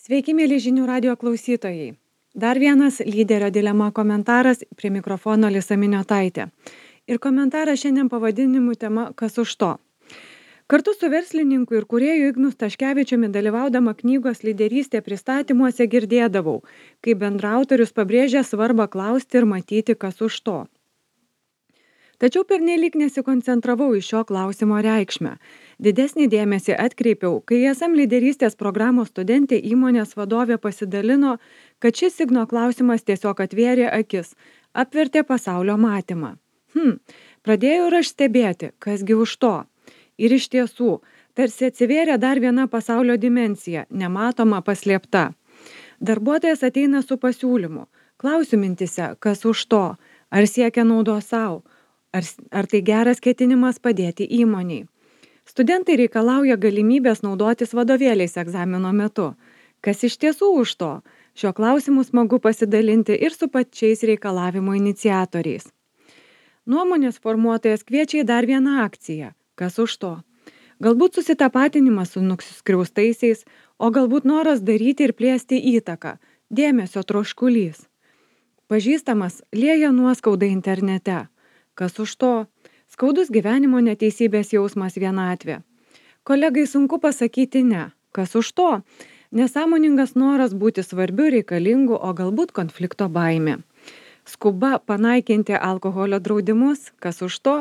Sveiki, mėly žinių radio klausytojai. Dar vienas lyderio dilema komentaras prie mikrofono Lisa Miniotaitė. Ir komentaras šiandien pavadinimu tema Kas už to. Kartu su verslininku ir kūrėju Ignu Staškevičiumi dalyvaudama knygos lyderystė pristatymuose girdėdavau, kai bendraautorius pabrėžia svarbą klausti ir matyti kas už to. Tačiau pernelyg nesikoncentravau į šio klausimo reikšmę. Didesnį dėmesį atkreipiau, kai ESM lyderystės programos studentė įmonės vadovė pasidalino, kad šis Igno klausimas tiesiog atvėrė akis, apvertė pasaulio matymą. Pradėjau ir aš stebėti, kasgi už to. Ir iš tiesų, tarsi atsivėrė dar viena pasaulio dimensija, nematoma, paslėpta. Darbuotojas ateina su pasiūlymu. Klausiu mintise, kas už to, ar siekia naudos savo, ar tai geras ketinimas padėti įmoniai. Studentai reikalauja galimybės naudotis vadovėliais egzamino metu. Kas iš tiesų už to? Šio klausimu smagu pasidalinti ir su pačiais reikalavimo iniciatoriais. Nuomonės formuotojas kviečia į dar vieną akciją. Kas už to? Galbūt susitapatinimas su nuskriaustaisiais, o galbūt noras daryti ir plėsti įtaką, dėmesio troškulys. Pažįstamas lieja nuoskaudą internete. Kas už to? Skaudus gyvenimo neteisybės jausmas vienatvė. Kolegai sunku pasakyti ne. Kas už to? Nesąmoningas noras būti svarbiu, reikalingu, o galbūt konflikto baimė. Skuba panaikinti alkoholio draudimus. Kas už to?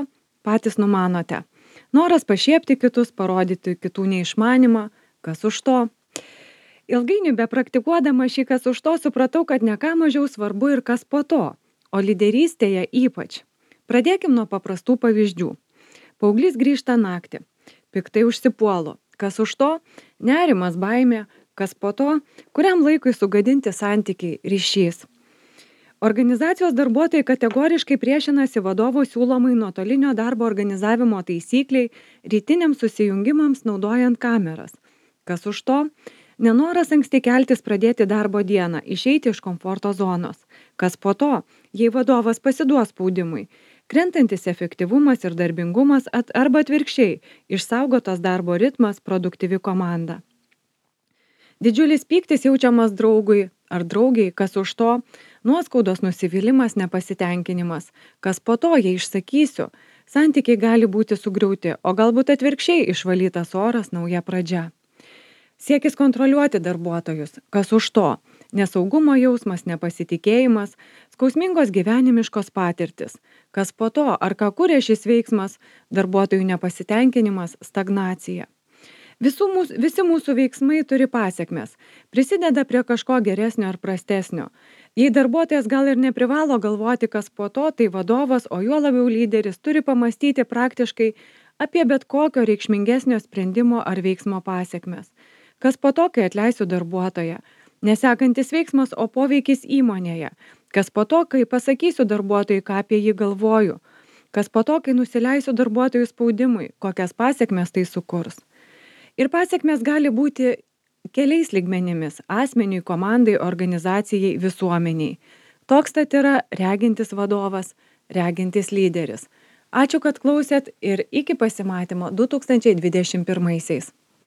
Patys numanote. Noras pašiepti kitus, parodyti kitų neišmanimą. Kas už to? Ilgainiui bepraktikuodama šį kas už to supratau, kad ne ką mažiau svarbu ir kas po to, o lyderystėje ypač. Pradėkim nuo paprastų pavyzdžių. Paauglys grįžta naktį. Piktai užsipuolu. Kas už to? Nerimas, baimė. Kas po to? Kuriam laikui sugadinti santykiai, ryšys. Organizacijos darbuotojai kategoriškai priešinasi vadovo siūlomai nuotolinio darbo organizavimo taisykliai rytiniams susijungimams naudojant kameras. Kas už to? Nenoras anksti keltis pradėti darbo dieną, išeiti iš komforto zonos. Kas po to? Jei vadovas pasiduos spaudimui. Krentantis efektyvumas ir darbingumas arba atvirkščiai, išsaugotas darbo ritmas, produktyvi komanda. Didžiulis pyktis jaučiamas draugui ar draugiai, kas už to? Nuoskaudos, nusivylimas, nepasitenkinimas. Kas po to, jei išsakysiu, santykiai gali būti sugriauti, o galbūt atvirkščiai išvalytas oras, nauja pradžia. Siekis kontroliuoti darbuotojus. Kas už to? Nesaugumo jausmas, nepasitikėjimas, skausmingos gyvenimiškos patirtis. Kas po to, ar ką kuria šis veiksmas, darbuotojų nepasitenkinimas, stagnacija. Visi mūsų veiksmai turi pasekmes, prisideda prie kažko geresnio ar prastesnio. Jei darbuotojas gal ir neprivalo galvoti, kas po to, tai vadovas, o juo labiau lyderis, turi pamastyti praktiškai apie bet kokio reikšmingesnio sprendimo ar veiksmo pasekmes. Kas po to, kai atleisiu darbuotoją? Nesekantis veiksmas, o poveikis įmonėje. Kas po to, kai pasakysiu darbuotojui, ką apie jį galvoju? Kas po to, kai nusileisiu darbuotojų spaudimui? Kokias pasekmes tai sukurs? Ir pasekmės gali būti keliais lygmenimis – asmeniui, komandai, organizacijai, visuomeniai. Toks tad yra regintis vadovas, regintis lyderis. Ačiū, kad klausėt ir iki pasimatymo 2021-aisiais.